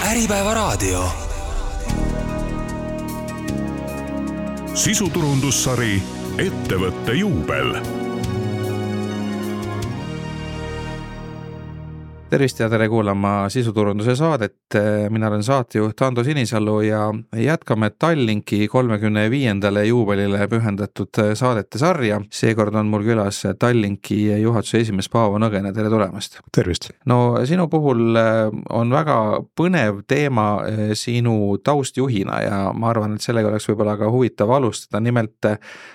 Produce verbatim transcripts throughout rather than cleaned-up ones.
Äripäevaraadio. Sisuturundussari Ettevõtte juubel. Tervist ja tere kuulama sisuturunduse saadet. Mina olen saatejuht Ando Sinisalu ja jätkame Tallinki kolmekümne viiendale juubelile pühendatud saadete sarja. Seekord on mul külas Tallinki juhatuse esimees Paavo Nõgene. Tere tulemast. Tervist. No sinu puhul on väga põnev teema sinu taustjuhina ja ma arvan, et sellega oleks võib-olla ka huvitav alustada. Nimelt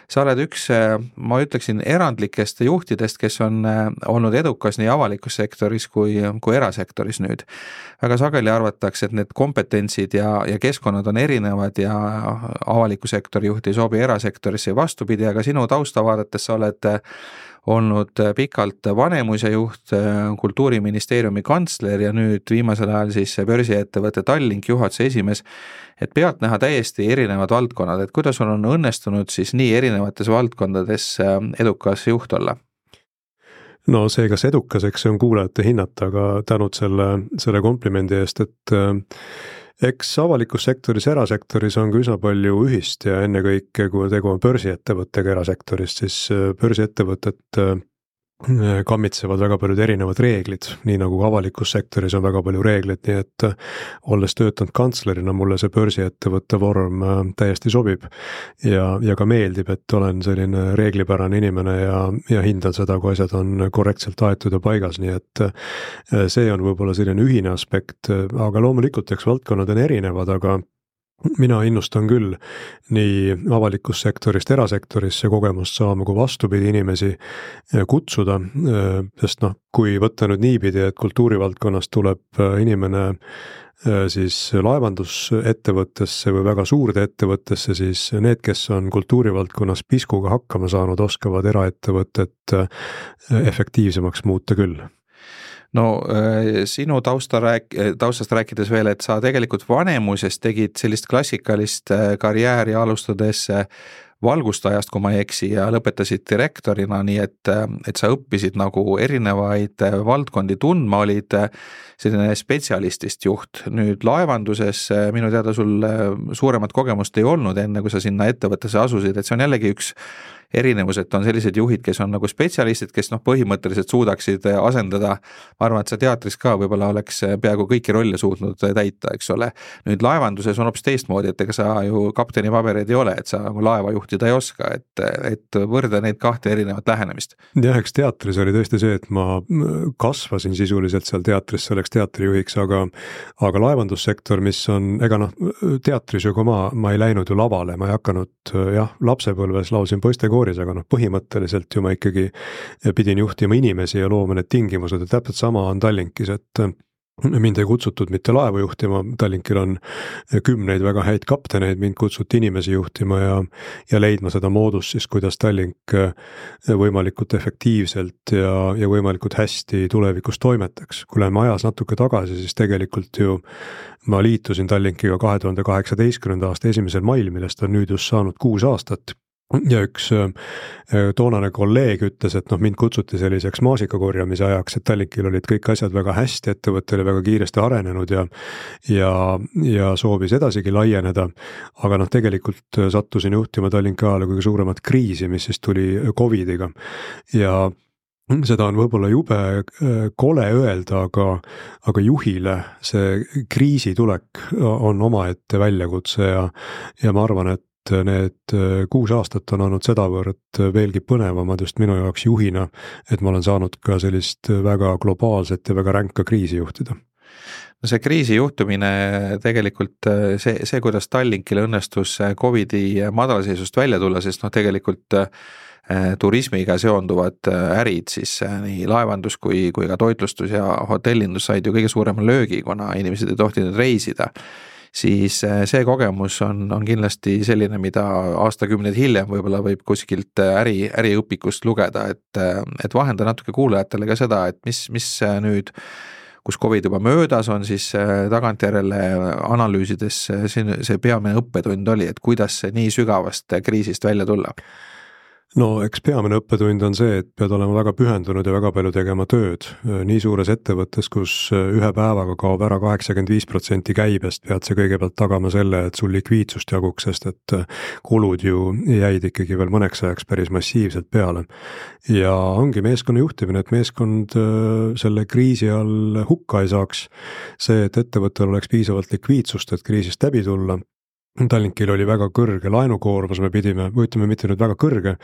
sa oled üks, ma ütleksin, erandlikest juhtidest, kes on olnud edukas nii avalikus sektoris kui kui erasektoris nüüd. Väga sageli arvatakse, et need kompetentsid ja, ja keskkonnad on erinevad ja avaliku sektori juht ei sobi erasektorisse ja vastupidi, aga sinu taustavaadates sa oled olnud pikalt Vanemuise juht, Kultuuriministeeriumi kantsler ja nüüd viimasel ajal siis börsiettevõtte Tallink juhatuse esimees, et pealt näha täiesti erinevad valdkonnad, et kuidas on õnnestunud siis nii erinevates valdkondades edukas juht olla? No see, kas edukas, eks see on kuulajate hinnata, aga tänud selle, selle komplimendi eest, et äh, eks avalikus sektoris, erasektoris on ka üsna palju ühist ja ennekõike, kui tegu on börsiettevõttega erasektorist, siis börsiettevõtet äh, kammitsevad väga paljud erinevad reeglid, nii nagu avalikus sektoris on väga palju reeglid, nii et olles töötanud kantslerina, mulle see börsiettevõtte vorm täiesti sobib ja, ja ka meeldib, et olen selline reeglipärane inimene ja, ja hindan seda, kui asjad on korrektselt aetud ja paigas, nii et see on võib-olla selline ühine aspekt, aga loomulikult eks valdkonnad on erinevad, aga mina innustan küll nii avalikust sektorist erasektorisse kogemust saama, kui vastupidi inimesi kutsuda, sest noh, kui võtta nüüd niipidi, et kultuurivaldkonnast tuleb inimene siis laevandusettevõttesse või väga suurde ettevõttesse, siis need, kes on kultuurivaldkonnas piskuga hakkama saanud, oskavad eraettevõtet efektiivsemaks muuta küll. No sinu tausta rääk, taustast rääkides veel, et sa tegelikult Vanemuises tegid sellist klassikalist karjääri alustades valgustajast, kui ma ei eksi, ja lõpetasid direktorina, nii et, et sa õppisid nagu erinevaid valdkondi tundma, olid selline spetsialistist juht. Nüüd laevanduses minu teada sul suuremat kogemust ei olnud enne, kui sa sinna ettevõttesse asusid, et see on jällegi üks erinevus, et on sellised juhid, kes on nagu spetsialistid, kes noh, põhimõtteliselt suudaksid asendada, ma arvan, et sa teatris ka võib-olla oleks peaaegu kõiki rolle suutnud täita, eks ole. Nüüd laevanduses on hoopis teistmoodi, et ega sa ju kapteni pabereid ei ole, et sa nagu laeva juhtida ei oska, et, et võrda neid kahte erinevat lähenemist. Jah, eks teatris oli tõesti see, et ma kasvasin sisuliselt seal teatris selleks teatrijuhiks, aga, aga laevandussektor, mis on, ega noh, teatris ju, kui ma, ma ei läinud ju lavale, ma ei hakanud, jah, lapsepõlves lausin poistekooris, aga noh, põhimõtteliselt ju ma ikkagi pidin juhtima inimesi ja looma need tingimused, et täpselt sama on Tallinkis, et mind ei kutsutud mitte laevu juhtima, Tallinkil on kümneid väga häid kapteneid, mind kutsuti inimesi juhtima ja, ja leidma seda moodust siis, kuidas Tallink võimalikult efektiivselt ja, ja võimalikult hästi tulevikus toimetaks. Kui läheme ajas natuke tagasi, siis tegelikult ju ma liitusin Tallinkiga kahe tuhande kaheksateistkümnenda aasta esimesel mail, millest on nüüd just saanud kuus aastat. Ja üks toonane kolleeg ütles, et noh, mind kutsuti selliseks maasikakorjamise ajaks, et Tallinkil olid kõik asjad väga hästi, ettevõte oli väga kiiresti arenenud ja, ja, ja soovis edasigi laieneda, aga noh, tegelikult sattusin juhtima Tallinki ajal kõige suuremat kriisi, mis siis tuli Covidiga ja seda on võib-olla jube kole öelda, aga, aga juhile see kriisitulek on omaette väljakutse ja, ja ma arvan, et need kuus aastat on olnud sedavõrd veelgi põnevamad just minu jaoks juhina, et ma olen saanud ka sellist väga globaalset ja väga ränka kriisi juhtida. No see kriisi juhtumine tegelikult see, see, kuidas Tallinkile õnnestus Covidi madalseisust välja tulla, sest noh, tegelikult turismiga seonduvad ärid, siis nii laevandus kui, kui ka toitlustus ja hotellindus said ju kõige suurema löögi, kuna inimesed ei tohtinud reisida. Siis see kogemus on, on kindlasti selline, mida aastakümneid hiljem võib-olla võib kuskilt äri, äriõpikust lugeda, et, et vahenda natuke kuulajatele ka seda, et mis, mis nüüd, kus Covid juba möödas on, siis tagantjärele analüüsides see, see peamine õppetund oli, et kuidas see nii sügavast kriisist välja tulla? no eks peamine õppetund on see, et pead olema väga pühendunud ja väga palju tegema tööd. Nii suures ettevõttes, kus ühe päevaga kaob ära kaheksakümmend viis protsenti käibest, pead sa kõigepealt tagama selle, et sul likviidsust jaguks, sest et kulud ju jäid ikkagi veel mõneks ajaks päris massiivselt peale. Ja ongi meeskonna juhtimine, et meeskond selle kriisi all hukka ei saaks. See, et ettevõttel oleks piisavalt likviidsust, et kriisist läbi tulla. Tallinkil oli väga kõrge laenukoormus, me pidime, või ütleme mitte nüüd väga kõrge,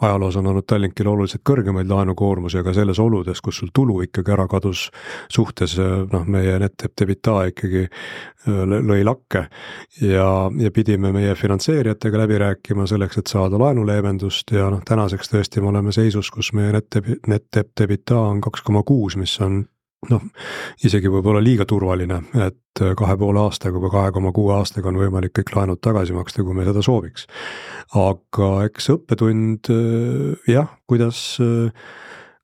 ajaloos on olnud Tallinkil oluliselt kõrgemaid laenukoormusi, aga selles oludes, kus sul tulu ikkagi ära kadus suhtes, noh, meie net debita ikkagi lõi lakke ja, ja pidime meie finantseerijatega läbi rääkima selleks, et saada laenuleevendust ja noh, tänaseks tõesti me oleme seisus, kus meie net debita on kaks koma kuus, mis on noh, isegi võib-olla liiga turvaline, et kahe poole aastaga või kahe koma kuue aastaga on võimalik kõik laenud tagasi maksta, kui me seda sooviks. Aga eks õppetund, jah, kuidas,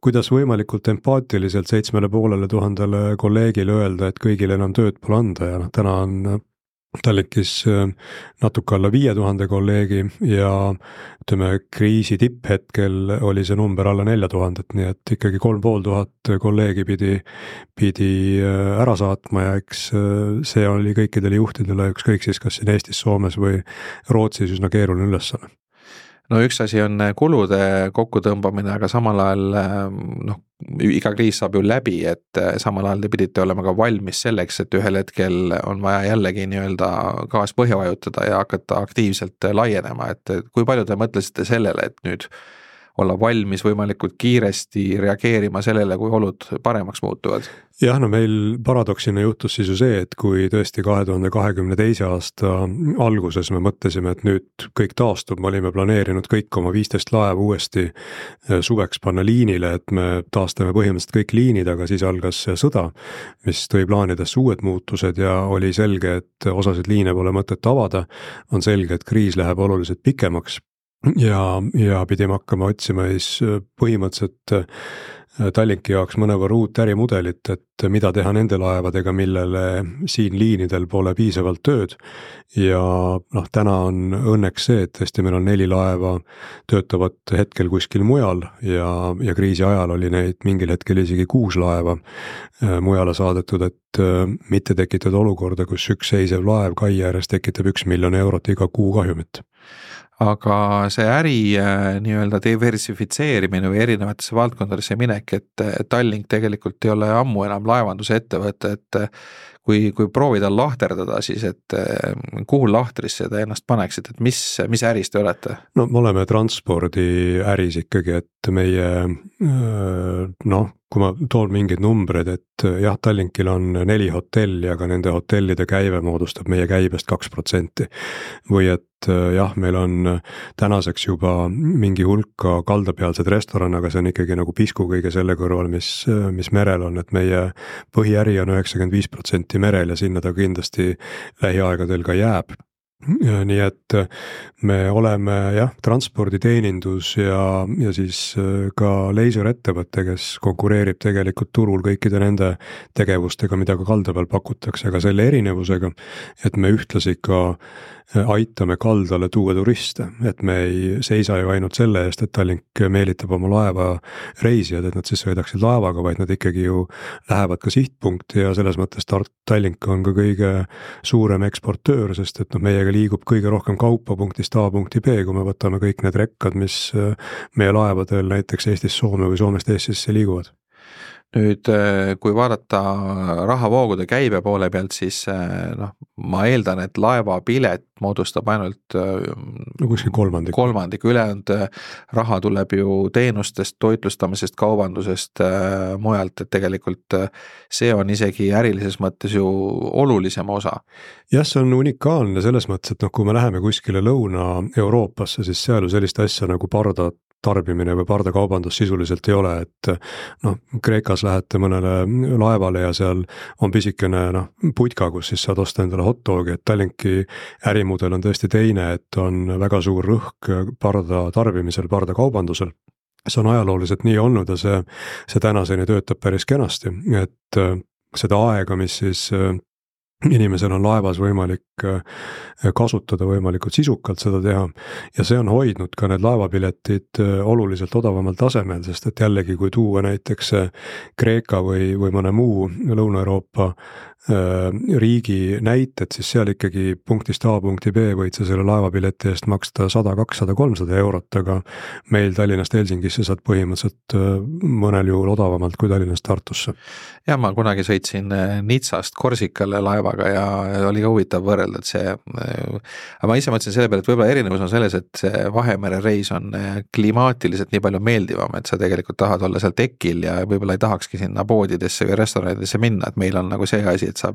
kuidas võimalikult empaatiliselt seitsmele poolele tuhandele kolleegile öelda, et kõigil enam tööd pole anda ja noh, täna on Tallinkis natuke alla viie tuhande kolleegi ja ütleme, kriisi tipphetkel oli see number alla nelja tuhandet, nii et ikkagi kolm pool tuhat kolleegi pidi, pidi ära saatma ja eks see oli kõikidele juhtidele ükskõik siis kas siin Eestis, Soomes või Rootsis üsna keeruline ülesanne. No üks asi on kulude kokkutõmbamine, aga samal ajal noh, iga kriis saab ju läbi, et samal ajal te pidite olema ka valmis selleks, et ühel hetkel on vaja jällegi nii-öelda gaas põhja vajutada ja hakata aktiivselt laienema, et kui palju te mõtlesite sellele, et nüüd olla valmis võimalikult kiiresti reageerima sellele, kui olud paremaks muutuvad? Jah, no meil paradoksina juhtus siis ju see, et kui tõesti kahe tuhande kahekümne teise aasta alguses me mõtlesime, et nüüd kõik taastub, me olime planeerinud kõik oma viisteist laeva uuesti suveks panna liinile, et me taastame põhimõtteliselt kõik liinid, aga siis algas sõda, mis tõi plaanidesse uued muutused ja oli selge, et osasid liine pole mõtet avada, on selge, et kriis läheb oluliselt pikemaks. Ja, ja pidime hakkama otsima siis põhimõtteliselt Tallinki jaoks mõnevõrra uut ärimudelit, et mida teha nende laevadega, millele siin liinidel pole piisavalt tööd ja noh, täna on õnneks see, et tõesti meil on neli laeva töötavad hetkel kuskil mujal ja, ja kriisi ajal oli neid mingil hetkel isegi kuus laeva mujale saadetud, et mitte tekitada olukorda, kus üks seisev laev kai ääres tekitab üks miljon eurot iga kuu kahjumit. Aga see äri nii-öelda diversifitseerimine või erinevatesse valdkondadesse minek, et Tallink tegelikult ei ole ammu enam laevanduse ettevõte, et kui, kui proovida lahterdada, siis et kuhu lahtrisse te ennast paneksid, et mis, mis äris te olete? No me oleme transpordi äris ikkagi, et meie noh, kui ma toon mingeid numbreid, et jah, Tallinkil on neli hotelli, aga nende hotellide käive moodustab meie käibest kaks protsenti. Või et jah, meil on tänaseks juba mingi hulka kaldapealsed restoran, aga see on ikkagi nagu pisku kõige selle kõrval, mis, mis merel on, et meie põhiäri on üheksakümmend viis protsenti merel ja sinna ta kindlasti lähiaegadel ka jääb. Nii et me oleme jah, transporditeenindus ja, ja siis ka leisurettevõte, kes konkureerib tegelikult turul kõikide nende tegevustega, mida ka kalda peal pakutakse, aga selle erinevusega, et me ühtlasi ka aitame kaldale tuua turiste, et me ei seisa ju ainult selle eest, et Tallink meelitab oma laeva reisijad, et nad siis sõidaksid laevaga, vaid nad ikkagi ju lähevad ka sihtpunkti ja selles mõttes Tallink on ka kõige suurem eksportöör, sest et noh, meiega liigub kõige rohkem kaupa punktist A punkti B, kui me võtame kõik need rekkad, mis meie laevadel näiteks Eestis Soome või Soomest Eestisse liiguvad. Nüüd, kui vaadata rahavoogude käibe poole pealt, siis noh, ma eeldan, et laevapilet moodustab ainult no, kuskil kolmandik. kolmandik, ülejäänud raha tuleb ju teenustest, toitlustamisest, kaubandusest mujalt, et tegelikult see on isegi ärilises mõttes ju olulisem osa. Jah, see on unikaalne selles mõttes, et noh, kui me läheme kuskile Lõuna-Euroopasse, siis seal ju sellist asja nagu parda tarbimine või pardakaubandus sisuliselt ei ole, et noh, Kreekas lähete mõnele laevale ja seal on pisikene noh, putka, kus siis saad osta endale hot dogi, et Tallinki ärimudel on tõesti teine, et on väga suur rõhk parda tarbimisel, pardakaubandusel. See on ajalooliselt nii olnud ja see, see tänaseni töötab päris kenasti, et seda aega, mis siis inimesel on laevas võimalik kasutada võimalikult sisukalt seda teha ja see on hoidnud ka need laevapiletid oluliselt odavamal tasemel, sest et jällegi, kui tuua näiteks Kreeka või, või mõne muu Lõuna-Euroopa riigi näited, siis seal ikkagi punktist A punkti B võid sa selle laevapileti eest maksta sada, kakssada, kolmsada eurot, aga meil Tallinnast Helsingisse saad põhimõtteliselt mõnel juhul odavamalt kui Tallinnast Tartusse. Ja ma kunagi sõitsin Nitsast Korsikale laevaga ja oli ka huvitav võrrelda, et see, aga ma ise mõtlesin selle peale, et võib-olla erinevus on selles, et see Vahemere reis on klimaatiliselt nii palju meeldivam, et sa tegelikult tahad olla seal tekil ja võib-olla ei tahakski sinna poodidesse või restoranidesse minna, et meil on nagu see asi, et sa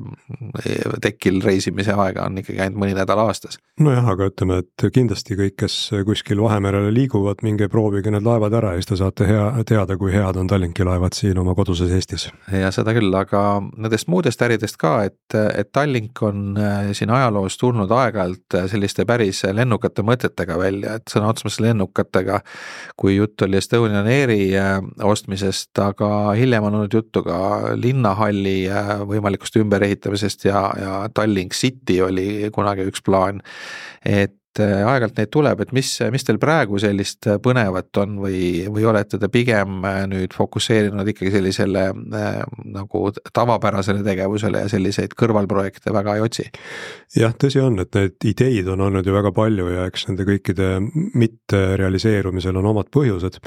tekil reisimise aega on ikkagi ainult mõni nädal aastas. Nojah, aga ütleme, et kindlasti kõik, kes kuskil Vahemerele liiguvad, minge proovige need laevad ära ja siis te saate hea, teada, kui head on Tallinki laevad siin oma koduses Eestis. Ja seda küll, aga nendest muudest äridest ka, et, et Tallink on siin ajaloos tulnud aeg-ajalt selliste päris lennukate mõtetega välja, et sõna otsemas lennukatega, kui jutt oli Estonian Airi ostmisest, aga hiljem on olnud juttu ka linnahalli võimalikust ümberehitamisest ja, ja Tallink City oli kunagi üks plaan, et aeg-ajalt neid tuleb, et mis, mis teil praegu sellist põnevat on või, või olete te pigem nüüd fokusseerinud ikkagi sellisele äh, nagu tavapärasele tegevusele ja selliseid kõrvalprojekte väga ei otsi? Jah, tõsi on, et need ideid on olnud ju väga palju ja eks nende kõikide mitte realiseerumisel on omad põhjused.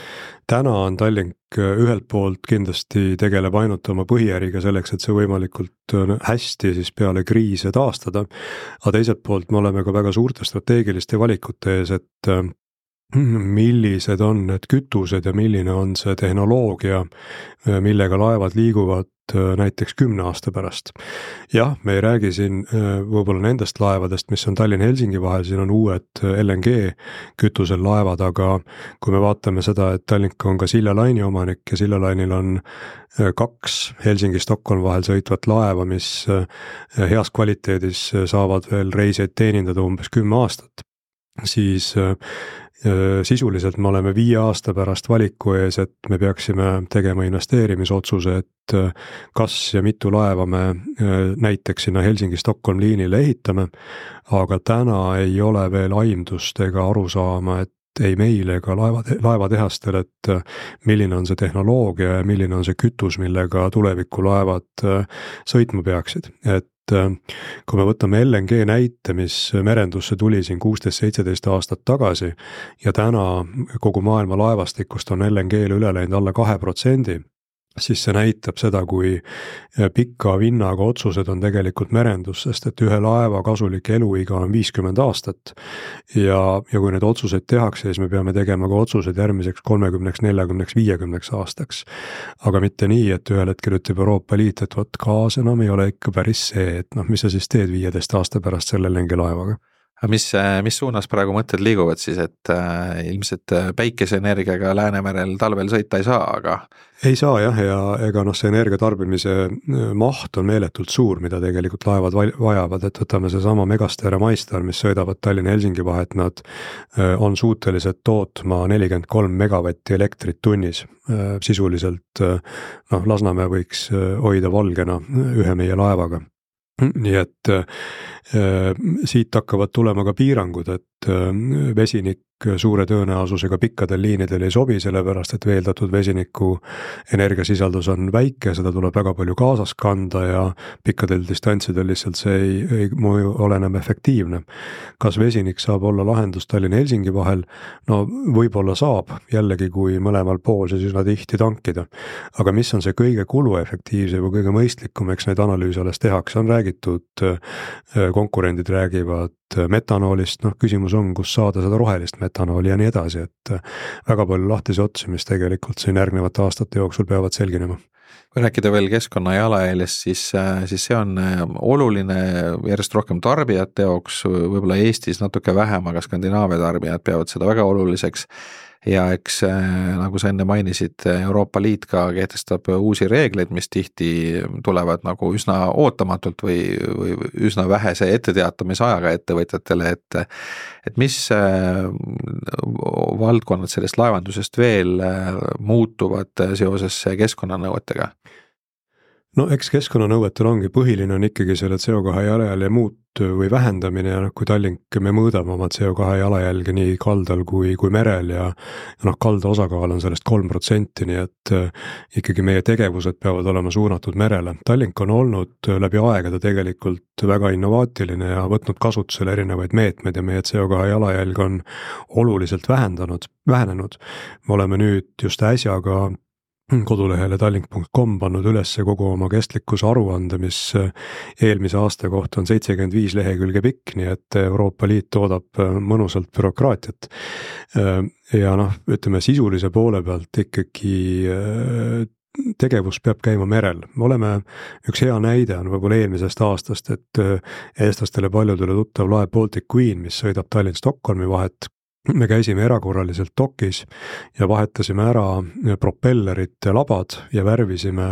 Täna on Tallink ühelt poolt kindlasti tegeleb ainult oma põhiäriga selleks, et see võimalikult hästi siis peale kriise taastada, aga teiselt poolt me oleme ka väga suurte strateegiliste valikute ees, et millised on need kütused ja milline on see tehnoloogia, millega laevad liiguvad näiteks kümne aasta pärast. Jah, me ei räägi siin võib-olla nendest laevadest, mis on Tallinn-Helsingi vahel, siin on uued L N G kütusel laevad, aga kui me vaatame seda, et Tallink on ka Silja Laini omanik ja Silja Lainil on kaks Helsingi-Stockholm vahel sõitvat laeva, mis heas kvaliteedis saavad veel reisijaid teenindada umbes kümme aastat, siis sisuliselt me oleme viie aasta pärast valiku ees, et me peaksime tegema investeerimisotsuse, et kas ja mitu laeva me näiteks sinna Helsingi-Stockholm liinile ehitame, aga täna ei ole veel aimdust ega arusaama, et ei meil ega laeva, laevatehastel, et milline on see tehnoloogia ja milline on see kütus, millega tulevikulaevad sõitma peaksid, et kui me võtame L N G näite, mis merendusse tuli siin kuusteist seitseteist aastat tagasi ja täna kogu maailma laevastikust on L N G-le üle läinud alla kahe protsendi, siis see näitab seda, kui pika vinnaga otsused on tegelikult merendus, sest et ühe laeva kasulik eluiga on viiskümmend aastat ja, ja kui need otsuseid tehakse, siis me peame tegema ka otsused järgmiseks kolmekümneks, neljakümneks, viiekümneks aastaks. Aga mitte nii, et ühel hetkel ütleb Euroopa Liit, et võt kaas enam ei ole ikka päris see, et noh, mis sa siis teed viieteist aasta pärast selle L N G laevaga. Mis, mis suunas praegu mõtted liiguvad siis, et äh, ilmselt päikeseenergiaga Läänemerel talvel sõita ei saa, aga ei saa jah, ja ega noh, see energiatarbimise maht on meeletult suur, mida tegelikult laevad vajavad, et võtame see sama Megastar ja MyStar, mis sõidavad Tallinn-Helsingi vahet, nad on suutelised tootma nelikümmend kolm megavatti elektrit tunnis. Sisuliselt noh, Lasnamäe võiks hoida valgena ühe meie laevaga. Nii et äh, siit hakkavad tulema ka piirangud, et äh, vesinik suure tõenäosusega pikkadel liinidel ei sobi, sellepärast et veeldatud vesiniku energiasisaldus on väike, seda tuleb väga palju kaasas kanda ja pikkadel distantsidel lihtsalt see ei, ei mõju ole enam efektiivne. Kas vesinik saab olla lahendus Tallinn-Helsingi vahel? No võib-olla saab, jällegi kui mõlemal pool siis üsna tihti tankida. Aga mis on see kõige kuluefektiivsem või kõige mõistlikum, eks neid analüüse alles tehakse, on räägitud, konkurendid räägivad metanoolist, noh küsimus on, kus saada seda rohelist metanooli ja nii edasi, et väga palju lahtisi otsi, mis tegelikult siin järgnevate aastate jooksul peavad selginema. Kui rääkida veel keskkonna jalajäljest, siis, siis see on oluline järjest rohkem tarbijate jaoks, võib-olla Eestis natuke vähem, aga Skandinaavia tarbijad peavad seda väga oluliseks. Ja eks nagu sa enne mainisid, Euroopa Liit ka kehtestab uusi reegleid, mis tihti tulevad nagu üsna ootamatult või, või üsna vähese etteteatamise ajaga ettevõtjatele, et, et mis valdkonnad sellest laevandusest veel muutuvad seoses keskkonnanõuetega? no eks keskkonnanõuetel ongi, põhiline on ikkagi selle C O kahe jalajälje muut või vähendamine ja noh, kui Tallink me mõõdame oma C O kahe jalajälge nii kaldal kui, kui merel ja, ja noh, kalda osakaal on sellest kolm protsenti, nii et äh, ikkagi meie tegevused peavad olema suunatud merele. Tallink on olnud läbi aegade tegelikult väga innovaatiline ja võtnud kasutusele erinevaid meetmeid ja meie C O kahe jalajälg on oluliselt vähendanud, vähenenud. Me oleme nüüd just äsja ka kodulehele tallink punkt com pannud üles kogu oma kestlikkuse aruande, mis eelmise aasta kohta on seitsekümmend viis lehekülge pikk, nii et Euroopa Liit toodab mõnusalt bürokraatiat. Ja noh, ütleme sisulise poole pealt ikkagi tegevus peab käima merel. Me oleme, üks hea näide on võib-olla eelmisest aastast, et eestlastele paljudele tuttav laev Baltic Queen, mis sõidab Tallinn-Stockholmi vahet, me käisime erakorraliselt dokis ja vahetasime ära propellerite labad ja värvisime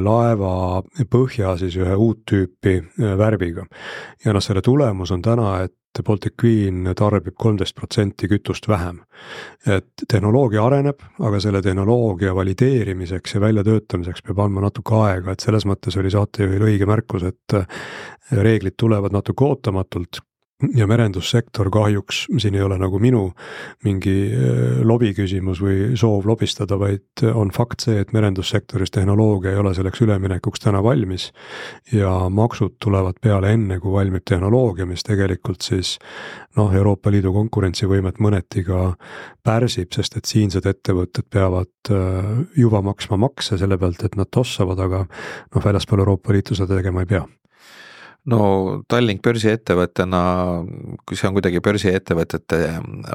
laeva põhja siis ühe uut tüüpi värviga. Ja noh, selle tulemus on täna, et Baltic Queen tarbib kolmteist protsenti kütust vähem. Et tehnoloogia areneb, aga selle tehnoloogia valideerimiseks ja väljatöötamiseks peab andma natuke aega, et selles mõttes oli saatejuhil õige märkus, et reeglid tulevad natuke ootamatult. Ja merendussektor kahjuks, siin ei ole nagu minu mingi lobi küsimus või soov lobistada, vaid on fakt see, et merendussektoris tehnoloogia ei ole selleks üleminekuks täna valmis ja maksud tulevad peale enne, kui valmib tehnoloogia, mis tegelikult siis noh, Euroopa Liidu konkurentsivõimet mõneti ka pärsib, sest et siinsed ettevõtted peavad juba maksma makse selle pealt, et nad tossavad, aga noh, väljaspool Euroopa Liitu seda tegema ei pea. No Tallink börsiettevõttena, kui see on kuidagi börsiettevõtete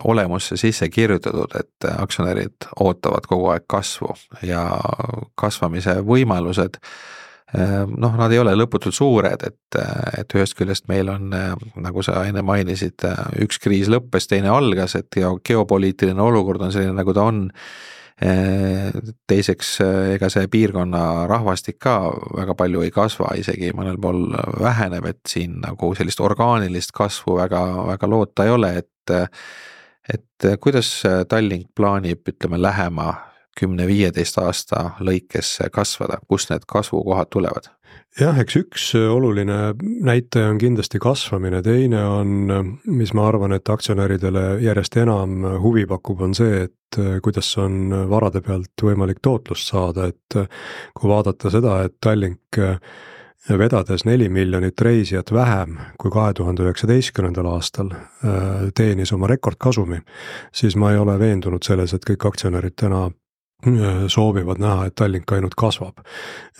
olemusse sisse kirjutatud, et aktsionärid ootavad kogu aeg kasvu ja kasvamise võimalused, noh, nad ei ole lõputult suured, et, et ühest küljest meil on, nagu sa enne mainisid, üks kriis lõppes, teine algas, et geopoliitiline olukord on selline, nagu ta on. Teiseks, ega see piirkonna rahvastik ka väga palju ei kasva, isegi mõnel pool väheneb, et siin nagu sellist orgaanilist kasvu väga, väga loota ei ole, et, et kuidas Tallink plaanib, ütleme, lähema kümne viieteist aasta lõikes kasvada, kust need kasvukohad tulevad? Jah, eks üks oluline näitaja on kindlasti kasvamine, teine on, mis ma arvan, et aktsionäridele järjest enam huvi pakub, on see, et kuidas on varade pealt võimalik tootlust saada, et kui vaadata seda, et Tallink vedades neli miljonit reisijat vähem kui kahe tuhande üheksateistkümnendal aastal teenis oma rekordkasumi, siis ma ei ole veendunud selles, et kõik aktsionärid täna soovivad näha, et Tallink ainult kasvab.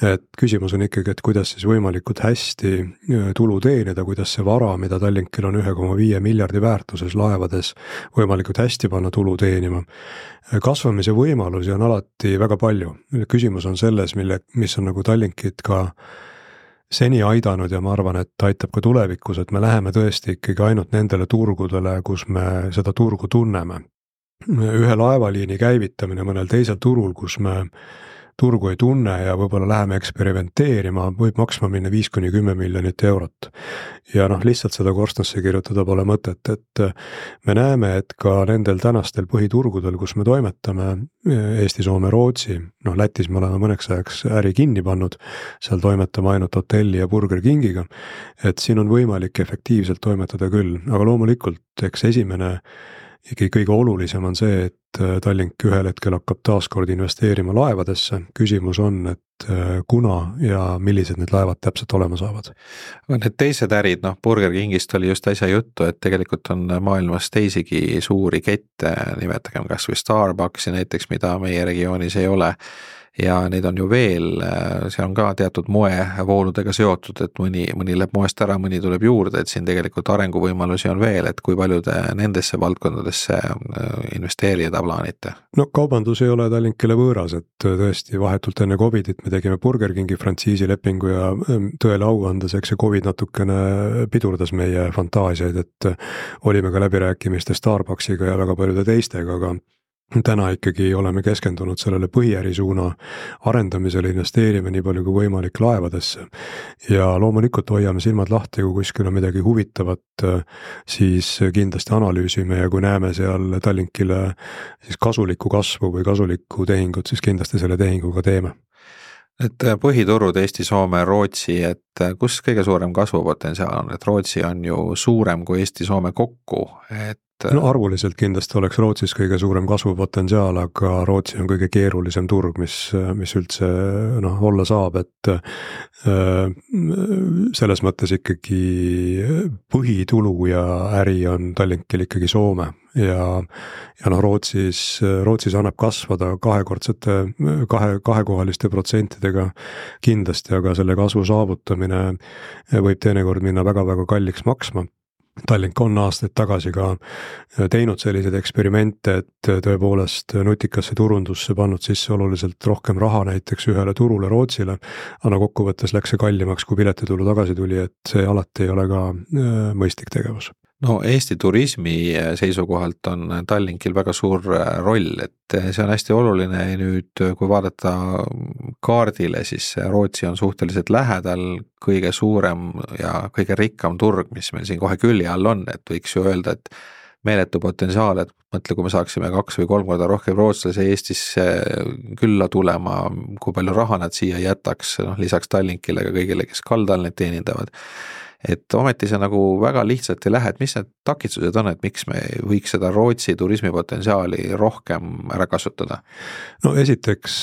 Et küsimus on ikkagi, et kuidas siis võimalikult hästi tulu teenida, kuidas see vara, mida Tallinkil on üks koma viis miljardi väärtuses laevades, võimalikult hästi panna tulu teenima. Kasvamise võimalusi on alati väga palju. Küsimus on selles, mille, mis on nagu Tallinkit ka seni aidanud ja ma arvan, et aitab ka tulevikus, et me läheme tõesti ikkagi ainult nendele turgudele, kus me seda turgu tunneme. Ühe laevaliini käivitamine mõnel teisel turul, kus me turgu ei tunne ja võib-olla läheme eksperimenteerima, võib maksma minna viis kuni kümme miljonit eurot. Ja noh, lihtsalt seda korstnasse kirjutada pole mõtet, et me näeme, et ka nendel tänastel põhiturgudel, kus me toimetame, Eesti, Soome, Rootsi, noh Lätis me oleme mõneks ajaks äri kinni pannud, seal toimetame ainult hotelli ja Burger Kingiga, et siin on võimalik efektiivselt toimetada küll, aga loomulikult, eks esimene ikkagi kõige olulisem on see, et Tallink ühel hetkel hakkab taaskord investeerima laevadesse. Küsimus on, et kuna ja millised need laevad täpselt olema saavad. Need teised ärid, noh Burger Kingist oli just äsja juttu, et tegelikult on maailmas teisigi suuri kette, nimetagem kas või Starbucksi näiteks, mida meie regioonis ei ole. Ja neid on ju veel, see on ka teatud moevooludega seotud, et mõni, mõni läheb moest ära, mõni tuleb juurde, et siin tegelikult arenguvõimalusi on veel, et kui palju te nendesse valdkondadesse investeerida plaanite? No kaubandus ei ole Tallinkile võõras, et tõesti vahetult enne Covidit me tegime Burger Kingi frantsiisi lepingu ja tõele au andes, eks see Covid natukene pidurdas meie fantaasiaid, et olime ka läbirääkimiste Starbucksiga ja väga paljude teistega, aga täna ikkagi oleme keskendunud sellele põhiärisuuna arendamisele, investeerime nii palju kui võimalik laevadesse ja loomulikult hoiame silmad lahti, kui kuskil on midagi huvitavat, siis kindlasti analüüsime ja kui näeme seal Tallinkile siis kasulikku kasvu või kasulikku tehingut, siis kindlasti selle tehinguga teeme. et põhiturud Eesti, Soome, Rootsi, et kus kõige suurem kasvupotentsiaal on, et Rootsi on ju suurem kui Eesti, Soome kokku, et no arvuliselt kindlasti oleks Rootsis kõige suurem kasvupotentsiaal, aga Rootsi on kõige keerulisem turg, mis, mis üldse noh, olla saab, et äh, selles mõttes ikkagi põhitulu ja äri on Tallinkil ikkagi Soome ja, ja noh, Rootsis, Rootsis annab kasvada kahekordsete, kahe, kahekohaliste protsentidega kindlasti, aga selle kasvu saavutamine võib teinekord minna väga-väga kalliks maksma. Tallink on aastaid tagasi ka teinud selliseid eksperimente, et tõepoolest nutikasse turundusse pannud sisse oluliselt rohkem raha näiteks ühele turule Rootsile, aga kokkuvõttes läks see kallimaks, kui piletitulu tagasi tuli, et see alati ei ole ka mõistlik tegevus. No Eesti turismi seisukohalt on Tallinkil väga suur roll, et see on hästi oluline nüüd, kui vaadata kaardile, siis Rootsi on suhteliselt lähedal, kõige suurem ja kõige rikkam turg, mis meil siin kohe külje all on, et võiks ju öelda, et meeletu potentsiaal, et mõtle, kui me saaksime kaks või kolm korda rohkem rootslase Eestisse külla tulema, kui palju raha nad siia jätaks, noh, lisaks Tallinkile ka kõigile, kes kaldal need teenindavad. Et ometi see nagu väga lihtsalt ei lähe, et mis need takistused on, et miks me võiks seda Rootsi turismipotentsiaali rohkem ära kasutada? No esiteks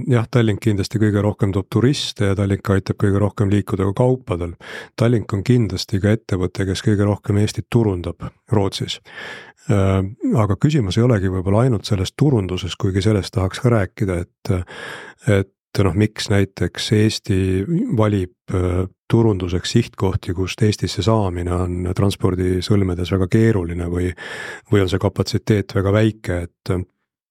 jah, Tallink kindlasti kõige rohkem toob turiste ja Tallink aitab kõige rohkem liikuda ka kaupadel. Tallink on kindlasti ka ettevõte, kes kõige rohkem Eestit turundab Rootsis. Aga küsimus ei olegi võib-olla ainult selles turunduses, kuigi sellest tahaks ka rääkida, et, et noh, miks näiteks Eesti valib turunduseks sihtkohti, kust Eestisse saamine on transpordisõlmedes väga keeruline või, või on see kapatsiteet väga väike, et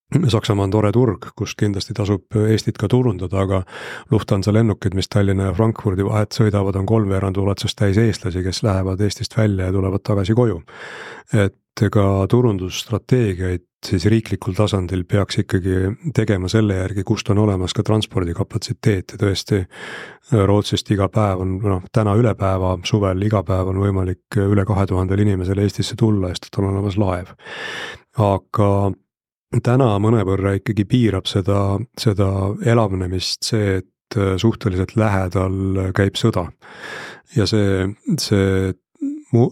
Saksamaa on tore turg, kust kindlasti tasub Eestit ka turundada, aga Lufthansa lennukid, mis Tallinna ja Frankfurdi vahet sõidavad, on kolmveerand ulatuses täis eestlasi, kes lähevad Eestist välja ja tulevad tagasi koju. Et ka turundusstrateegiaid siis riiklikul tasandil peaks ikkagi tegema selle järgi, kust on olemas ka transpordikapatsiteet ja tõesti Rootsist iga päev on, noh, täna üle päeva, suvel iga päev on võimalik üle kahe tuhandel inimesel Eestisse tulla, sest on olemas laev. Aga täna mõnevõrra ikkagi piirab seda, seda elavnemist see, et suhteliselt lähedal käib sõda. Ja see, see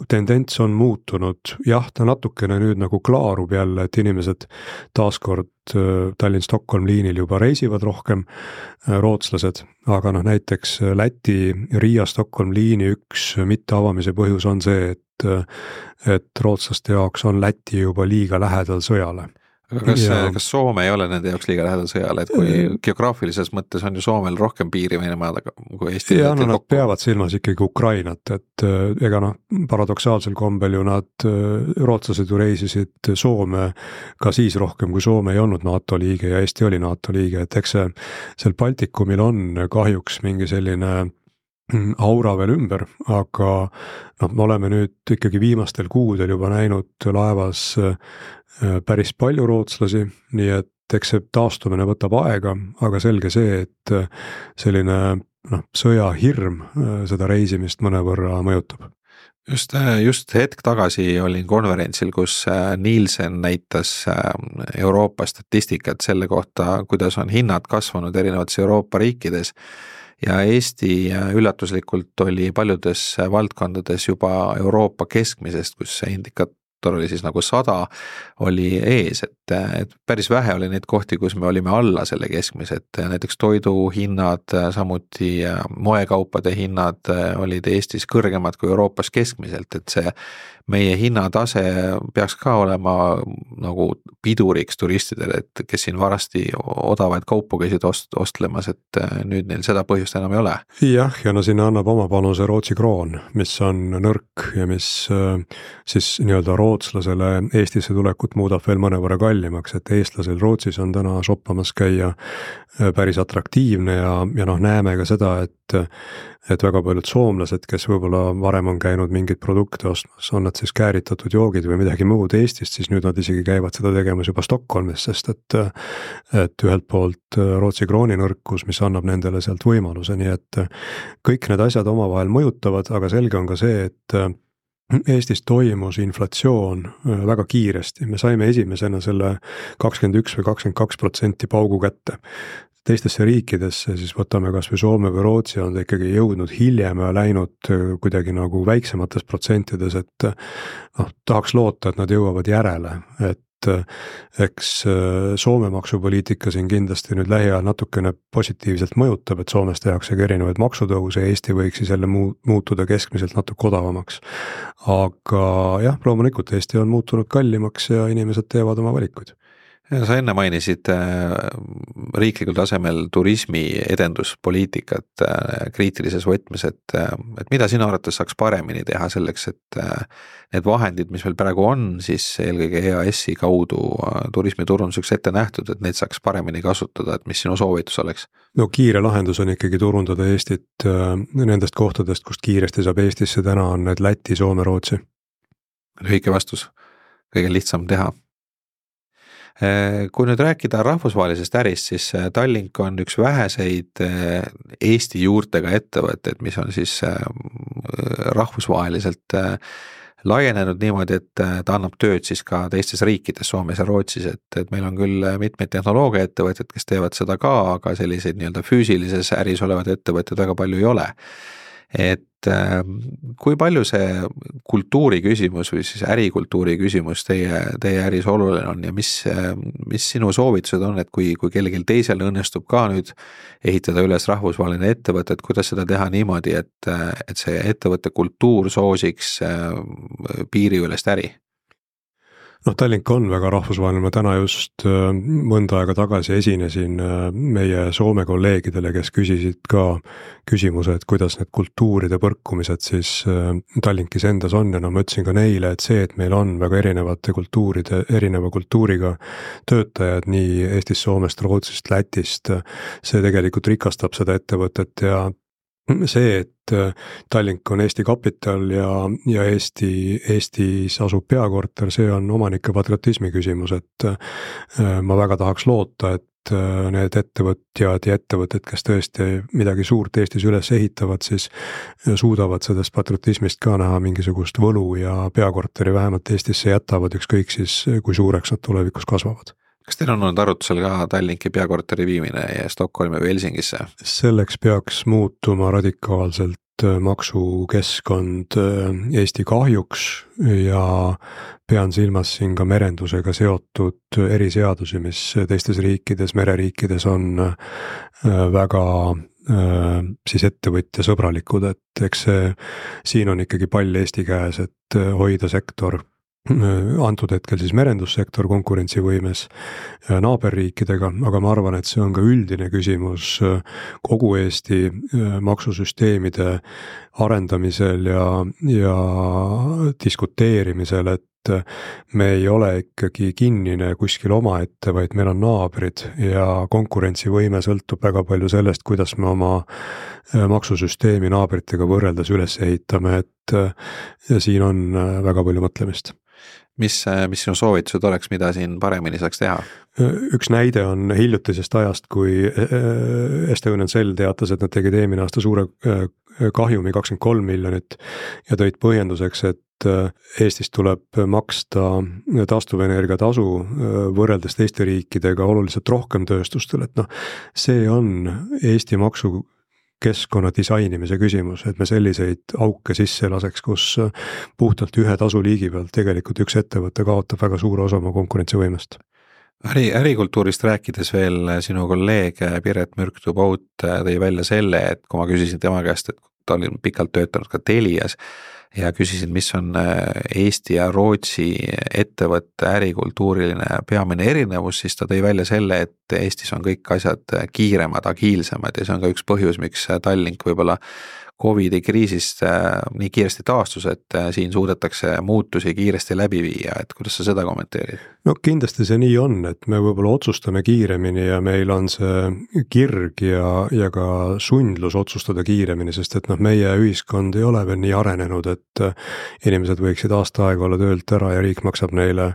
tendents on muutunud, jah, ta natukene nüüd nagu klaarub jälle, et inimesed taaskord Tallinn-Stockholm liinil juba reisivad rohkem, rootslased, aga noh, näiteks Läti Riia-Stockholm liini üks mitteavamise põhjus on see, et, et rootslaste jaoks on Läti juba liiga lähedal sõjale. Aga kas, ja, kas Soome ei ole nende jaoks liiga lähedal sõjale, et kui geograafilises mõttes on ju Soomel rohkem piiri Venemaad kui Eesti? Ja no nad kokku peavad silmas ikkagi Ukrainat, et ega noh, paradoksaalsel kombel ju nad, rootslased ju reisisid Soome ka siis rohkem, kui Soome ei olnud NATO liige ja Eesti oli NATO liige, et eks see seal Baltikumil on kahjuks mingi selline aura veel ümber, aga noh, me oleme nüüd ikkagi viimastel kuudel juba näinud laevas päris palju rootslasi, nii et eks see taastumine võtab aega, aga selge see, et selline noh, sõjahirm seda reisimist mõnevõrra mõjutab. Just, just hetk tagasi olin konverentsil, kus Nielsen näitas Euroopa statistikat selle kohta, kuidas on hinnad kasvanud erinevates Euroopa riikides ja Eesti üllatuslikult oli paljudes valdkondades juba Euroopa keskmisest, kus see indikaat oli siis nagu sada, oli ees, et, et päris vähe oli neid kohti, kus me olime alla selle keskmise, et näiteks toiduhinnad, samuti moekaupade hinnad olid Eestis kõrgemad kui Euroopas keskmiselt, et see meie hinnatase peaks ka olema nagu piduriks turistidele, et kes siin varasti odavaid kaupu käisid ost, ostlemas, et nüüd neil seda põhjust enam ei ole. Jah, ja no sinna annab oma panuse Rootsi kroon, mis on nõrk ja mis siis nii-öelda rootslasele Eestisse tulekut muudab veel mõnevõrra kallimaks, et eestlasel Rootsis on täna shoppamas käia päris atraktiivne ja, ja noh, näeme ka seda, et et väga paljud soomlased, kes võib-olla varem on käinud mingeid produkte ostmas, on nad siis kääritatud joogid või midagi muud Eestist, siis nüüd nad isegi käivad seda tegemas juba Stockholmis, sest et, et ühelt poolt Rootsi krooni nõrkus, mis annab nendele sealt võimaluse, nii et kõik need asjad omavahel mõjutavad, aga selge on ka see, et Eestis toimus inflatsioon väga kiiresti, me saime esimesena selle kakskümmend üks või kakskümmend kaks protsenti paugu kätte. teistesse riikidesse, siis võtame kas või Soome või Rootsi, on ta ikkagi jõudnud hiljem ja läinud kuidagi nagu väiksemates protsentides, et noh, tahaks loota, et nad jõuavad järele, et eks Soome maksupoliitika siin kindlasti nüüd lähiajal natukene positiivselt mõjutab, et Soomes tehakse ka erinevaid maksutõuse ja Eesti võiks siis jälle muutuda keskmiselt natuke odavamaks. Aga jah, loomulikult Eesti on muutunud kallimaks ja inimesed teevad oma valikuid. Sa enne mainisid riiklikul tasemel turismi edenduspoliitikat kriitilises võtmes, et, et mida sinu arvates saaks paremini teha selleks, et need vahendid, mis meil praegu on, siis eelkõige E A S-i kaudu turismiturunduseks ette nähtud, et neid saaks paremini kasutada, et mis sinu soovitus oleks? No kiire lahendus on ikkagi turundada Eestit nendest kohtadest, kust kiiresti saab Eestisse, täna on need Läti, Soome, Rootsi. Lühike vastus, kõige lihtsam teha. Kui nüüd rääkida rahvusvahelisest ärist, siis Tallink on üks väheseid Eesti juurtega ettevõtteid, mis on siis rahvusvaheliselt laienenud niimoodi, et ta annab tööd siis ka teistes riikides, Soomes ja Rootsis, et, et meil on küll mitmeid tehnoloogia ettevõtted, kes teevad seda ka, aga selliseid nii-öelda füüsilises äris olevad ettevõtted väga palju ei ole. Et kui palju see kultuuri küsimus või siis ärikultuuri küsimus teie, teie äris oluline on ja mis, mis sinu soovitused on, et kui, kui kellelgi teisel õnnestub ka nüüd ehitada üles rahvusvaheline ettevõte, et kuidas seda teha niimoodi, et, et see ettevõtte kultuur soosiks piiriülest äri? Noh, Tallink on väga rahvusvaheline, ma täna just mõnda aega tagasi esinesin meie Soome kolleegidele, kes küsisid ka küsimuse, et kuidas need kultuuride põrkumised siis Tallinkis endas on ja no ma ütlesin ka neile, et see, et meil on väga erinevate kultuuride, erineva kultuuriga töötajad nii Eestist, Soomest, Rootsist, Lätist, see tegelikult rikastab seda ettevõtet ja see, et Tallink on Eesti kapital ja, ja Eesti, Eestis asub peakorter, see on omanike patriotismi küsimus, et ma väga tahaks loota, et need ettevõtjad ja ettevõtted, kes tõesti midagi suurt Eestis üles ehitavad, siis suudavad sellest patriotismist ka näha mingisugust võlu ja peakorteri vähemalt Eestisse jätavad, ükskõik siis, kui suureks nad tulevikus kasvavad. Kas teil on olnud arutusel ka Tallinki peakorteri viimine Stockholmi või Helsingisse? Selleks peaks muutuma radikaalselt maksukeskkond Eesti kahjuks ja pean silmas siin ka merendusega seotud eriseadusi, mis teistes riikides, mereriikides on väga siis ettevõtja sõbralikud, et eks see, siin on ikkagi pall Eesti käes, et hoida sektor antud hetkel siis merendussektor konkurentsivõimes naaberriikidega, aga ma arvan, et see on ka üldine küsimus kogu Eesti maksusüsteemide arendamisel ja, ja diskuteerimisel, et me ei ole ikkagi kinnine kuskil omaette, vaid meil on naabrid ja konkurentsivõime sõltub väga palju sellest, kuidas me oma maksusüsteemi naabritega võrreldes üles ehitame, et ja siin on väga palju mõtlemist. Mis, mis sinu soovitused oleks, mida siin paremini saaks teha? Üks näide on hiljutisest ajast, kui Estonian Cell teatas, et nad tegid eelmine aasta suure kahjumi kakskümmend kolm miljonit ja tõid põhjenduseks, et Eestis tuleb maksta taastuvenergia tasu võrreldes teiste riikidega oluliselt rohkem tööstustel, et noh, see on Eesti maksu keskkonna disainimise küsimus, et me selliseid auke sisse laseks, kus puhtalt ühe tasuliigi pealt tegelikult üks ettevõte kaotab väga suure osa oma konkurentsivõimest. Äri, ärikultuurist rääkides veel sinu kolleeg Piret Mürktu-Paut tõi välja selle, et kui ma küsisin tema käest, et ta oli pikalt töötanud ka Telias ja küsisin, mis on Eesti ja Rootsi ettevõtte ärikultuuriline peamine erinevus, siis ta tõi välja selle, et Eestis on kõik asjad kiiremad, agiilsemad ja see on ka üks põhjus, miks Tallink võib-olla Covidi kriisist nii kiiresti taastus, et siin suudetakse muutusi kiiresti läbi viia, et kuidas sa seda kommenteerid? No kindlasti see nii on, et me võib-olla otsustame kiiremini ja meil on see kirg ja, ja ka sundlus otsustada kiiremini, sest et noh, meie ühiskond ei ole veel nii arenenud, et inimesed võiksid aasta aega olla töölt ära ja riik maksab neile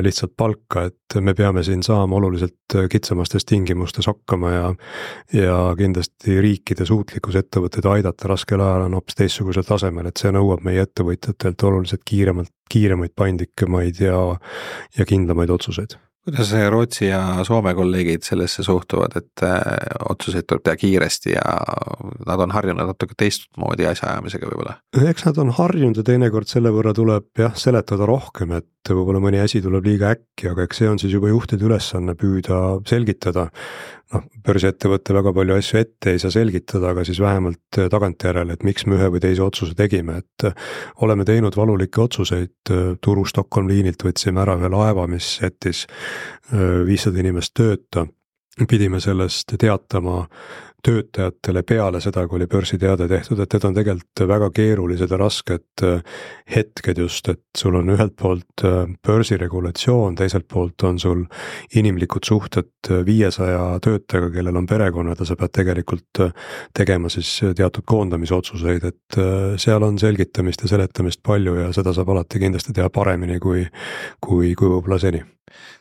lihtsalt palka, et me peame siin saama oluliselt kitsamastes tingimustes hakkama ja, ja kindlasti riikide suutlikkus ettevõtteid aidata raskel ajal on hoopis teistsugusel tasemel, et see nõuab meie ettevõtjatelt oluliselt kiiremalt, kiiremaid, paindlikemaid ja, ja kindlamaid otsuseid. kuidas Rootsi ja Soome kolleegid sellesse suhtuvad, et otsuseid tuleb teha kiiresti ja nad on harjunud natuke teistmoodi asjaajamisega võib-olla? Eks nad on harjunud ja teinekord selle võrra tuleb jah seletada rohkem, et võib-olla mõni asi tuleb liiga äkki, aga eks see on siis juba juhtide ülesanne püüda selgitada. Noh, börsiettevõtte väga palju asju ette ei saa selgitada, aga siis vähemalt tagantjärele, et miks me ühe või teise otsuse tegime, et oleme teinud valulikke otsuseid, Turu Stockholm liinilt võtsime ära ühe laeva, mis jättis viissada inimest tööta, pidime sellest teatama töötajatele peale seda, kui oli börsiteade tehtud, et need on tegelikult väga keerulised ja rasked hetked just, et sul on ühelt poolt börsiregulatsioon, teiselt poolt on sul inimlikud suhted viiesaja töötajaga, kellel on perekonnad ja sa pead tegelikult tegema siis teatud koondamisotsuseid, et seal on selgitamist ja seletamist palju ja seda saab alati kindlasti teha paremini kui, kui, kui võib-olla seni.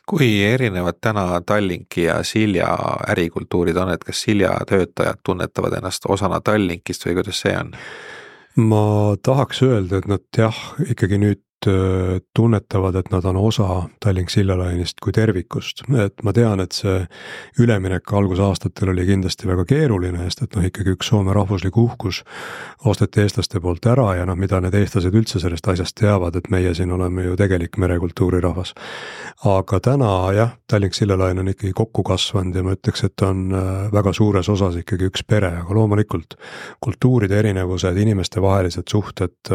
Kui erinevad täna Tallinki ja Silja ärikultuurid on, et kas Silja töötajad tunnetavad ennast osana Tallinkist või kuidas see on? Ma tahaks öelda, et nad jah, ikkagi nüüd tunnetavad, et nad on osa Tallink Silja lainist kui tervikust, et ma tean, et see üleminek algusaastatel oli kindlasti väga keeruline, sest et noh, ikkagi üks Soome rahvuslik uhkus osteti eestlaste poolt ära ja noh, mida need eestlased üldse sellest asjast teavad, et meie siin oleme ju tegelik merekultuuri rahvas. Aga täna jah, Tallink Silja lain on ikkagi kokku kasvanud ja ma ütleks, et on väga suures osas ikkagi üks pere, aga loomulikult kultuuride erinevused, inimeste vahelised suhted,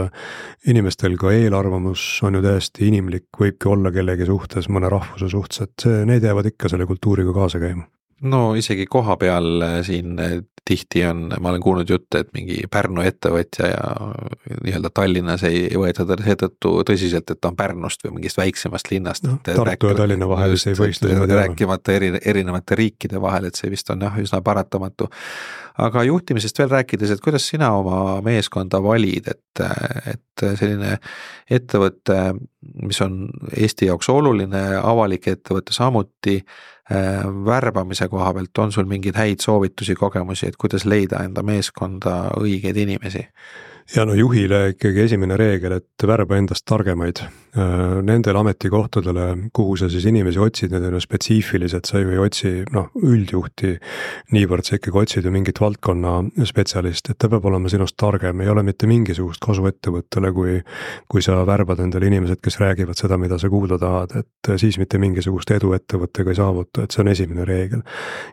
inimestel ka eelarvamus on ju täiesti inimlik, võibki olla kellegi suhtes, mõne rahvuse suhtes, et see, need jäävad ikka selle kultuuriga kaasa käima. No isegi koha peal siin tihti on, ma olen kuulnud jutte, et mingi Pärnu ettevõtja ja nii-öelda Tallinnas ei võeta seetõttu tõsiselt, et ta on Pärnust või mingist väiksemast linnast. No, Tartu ja Tallinna vahel see ei võista. Rääkimata eri, erinevate riikide vahel, et see vist on jah, üsna paratamatu. Aga juhtimisest veel rääkides, et kuidas sina oma meeskonda valid, et, et selline ettevõte, mis on Eesti jaoks oluline, avalik ettevõte samuti, värbamise koha pealt on sul mingeid häid soovitusi, kogemusi, et kuidas leida enda meeskonda õigeid inimesi? Ja no juhile ikkagi esimene reegel, et värba endast targemaid. Nendel ametikohtadele, kuhu sa siis inimesi otsid, need on ju spetsiifilised, sa ju ei otsi no, üldjuhti niivõrd, sa ikkagi otsid ju mingit valdkonna spetsialist, et ta peab olema sinust targem, ei ole mitte mingisugust kasu ettevõttele, kui, kui sa värbad endale inimesed, kes räägivad seda, mida sa kuulda tahad, et siis mitte mingisugust edu ettevõttega ei saavuta, et see on esimene reegel.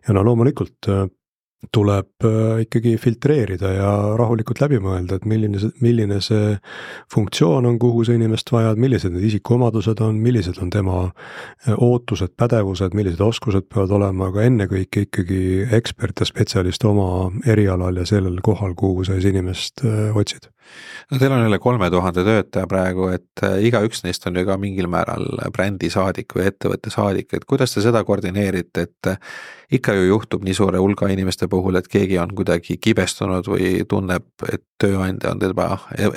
Ja no loomulikult tuleb ikkagi filtreerida ja rahulikult läbi mõelda, et milline, milline see funktsioon on, kuhu see inimest vajad, millised need isikuomadused on, millised on tema ootused, pädevused, millised oskused peavad olema, aga ennekõike ikkagi ekspert ja spetsialist oma erialal ja sellel kohal, kuhu sa inimest otsid. No teil on üle kolme tuhande töötaja praegu, et iga üks neist on ju ka mingil määral brändi saadik või ettevõtte saadik, et kuidas te seda koordineerite, et ikka ju juhtub nii suure hulga inimeste puhul, et keegi on kuidagi kibestunud või tunneb, et tööandja on teda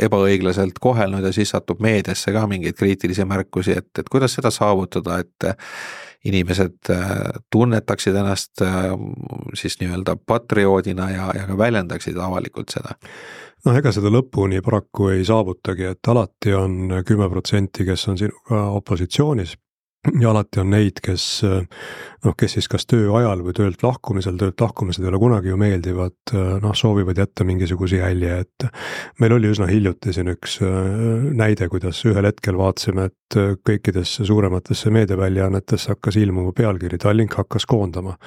ebaõiglaselt kohelnud ja siis satub meediasse ka mingeid kriitilisi märkusi, et, et kuidas seda saavutada, et inimesed tunnetaksid ennast siis nii-öelda patrioodina ja, ja ka väljendaksid avalikult seda? No ega seda lõpuni paraku ei saavutagi, et alati on kümme protsenti, kes on sinuga opositsioonis ja alati on neid, kes, noh, kes siis kas töö ajal või töölt lahkumisel, töölt lahkumised ei ole kunagi ju meeldivad, noh, soovivad jätta mingisuguse jälje, et meil oli üsna hiljuti siin üks näide, kuidas ühel hetkel vaatasime, et kõikidesse suurematesse meediaväljaannetesse hakkas ilmuma pealkiri, Tallink hakkas koondama.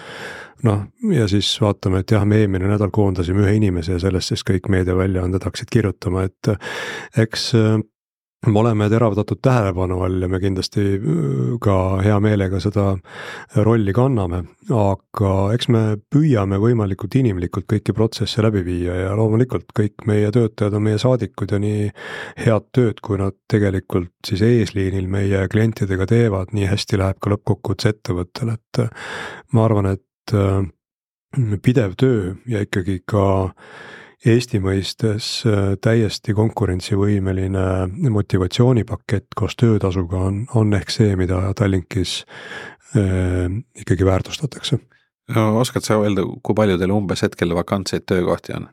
Noh, ja siis vaatame, et jah, me eelmine nädal koondasime ühe inimese ja sellest siis kõik meediaväljaanded hakkasid kirjutama, et eks me oleme teravdatud tähelepanu all ja me kindlasti ka hea meelega seda rolli kanname, aga eks me püüame võimalikult inimlikult kõiki protsesse läbi viia ja loomulikult kõik meie töötajad on meie saadikud ja nii head tööd, kui nad tegelikult siis eesliinil meie klientidega teevad, nii hästi läheb ka lõppkokkuvõttes ettevõttel, et ma arvan, et pidev töö ja ikkagi ka Eesti mõistes täiesti konkurentsivõimeline motivatsioonipakett koos töötasuga on, on ehk see, mida Tallinkis eh, ikkagi väärtustatakse. No, oskad sa öelda, kui palju teil umbes hetkel vakantseid töökohti on?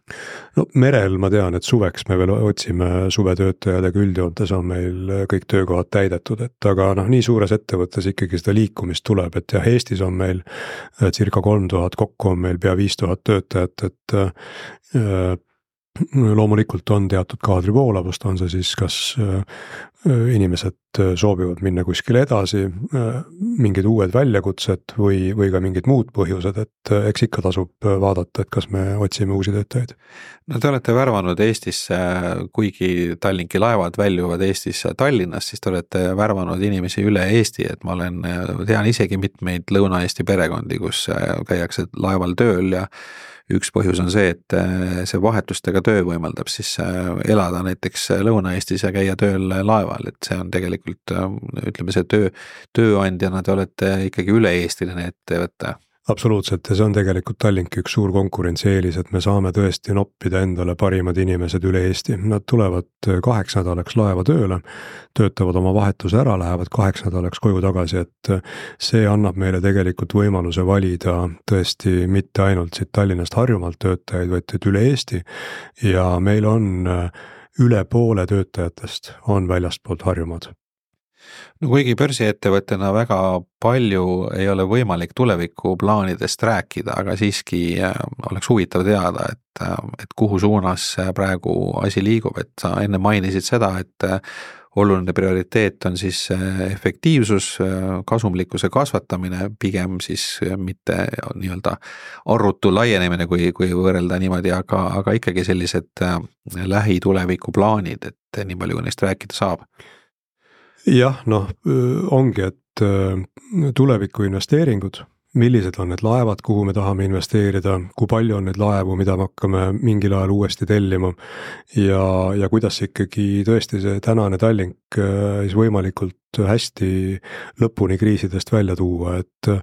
No merel ma tean, et suveks me veel otsime suvetöötajad, aga üldjoontes on meil kõik töökohad täidetud, et aga noh, nii suures ettevõttes ikkagi seda liikumist tuleb, et jah, Eestis on meil circa kolm tuhat, kokku on meil pea viis tuhat töötajat, et äh, loomulikult on teatud kaadrivoolavust, on see siis kas inimesed soovivad minna kuskile edasi, mingid uued väljakutsed või, või ka mingid muud põhjused, et eks ikka tasub vaadata, et kas me otsime uusi töötajaid. No te olete värvanud Eestisse, kuigi Tallinki laevad väljuvad Eestisse Tallinnast, siis te olete värvanud inimesi üle Eesti, et ma olen, tean isegi mitmeid Lõuna-Eesti perekondi, kus käiakse laeval tööl ja üks põhjus on see, et see vahetustega töö võimaldab siis elada näiteks Lõuna-Eestis ja käia tööl laeval, et see on tegelikult, ütleme see töö, tööandjana te olete ikkagi üle-eestiline ettevõte. Absoluutselt, ja see on tegelikult Tallinki üks suur konkurentsieelis, et me saame tõesti noppida endale parimad inimesed üle Eesti. Nad tulevad kaheks nädalaks laeva tööle, töötavad oma vahetuse ära, lähevad kaheks nädalaks koju tagasi, et see annab meile tegelikult võimaluse valida tõesti mitte ainult siit Tallinnast Harjumaalt töötajaid, vaid üle Eesti ja meil on üle poole töötajatest on väljastpoolt Harjumaad. No kuigi börsiettevõttena väga palju ei ole võimalik tulevikuplaanidest rääkida, aga siiski oleks huvitav teada, et, et kuhu suunas praegu asi liigub, et sa enne mainisid seda, et oluline prioriteet on siis efektiivsus, kasumlikkuse kasvatamine, pigem siis mitte nii-öelda arrutu laienemine, kui, kui võrrelda niimoodi, aga, aga ikkagi sellised lähituleviku plaanid, et nii palju neist rääkida saab. Jah, noh, ongi, et tuleviku investeeringud, millised on need laevad, kuhu me tahame investeerida, kui palju on need laevu, mida me hakkame mingil ajal uuesti tellima ja, ja kuidas ikkagi tõesti see tänane Tallink siis võimalikult hästi lõpuni kriisidest välja tuua, et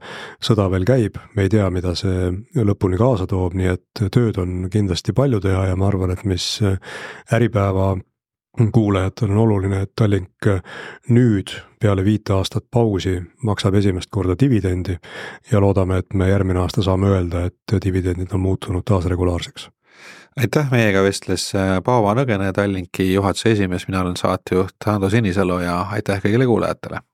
sõda veel käib, me ei tea, mida see lõpuni kaasa toob, nii et tööd on kindlasti palju teha ja ma arvan, et mis Äripäeva kuulajatel on oluline, et Tallink nüüd peale viite aastat pausi maksab esimest korda dividendi ja loodame, et me järgmine aasta saame öelda, et dividendid on muutunud taas regulaarseks. Aitäh, meiega vestles Paavo Nõgene, Tallinki juhatuse esimees, mina olen saatejuht Ando Sinisalu ja aitäh kõigile kuulajatele.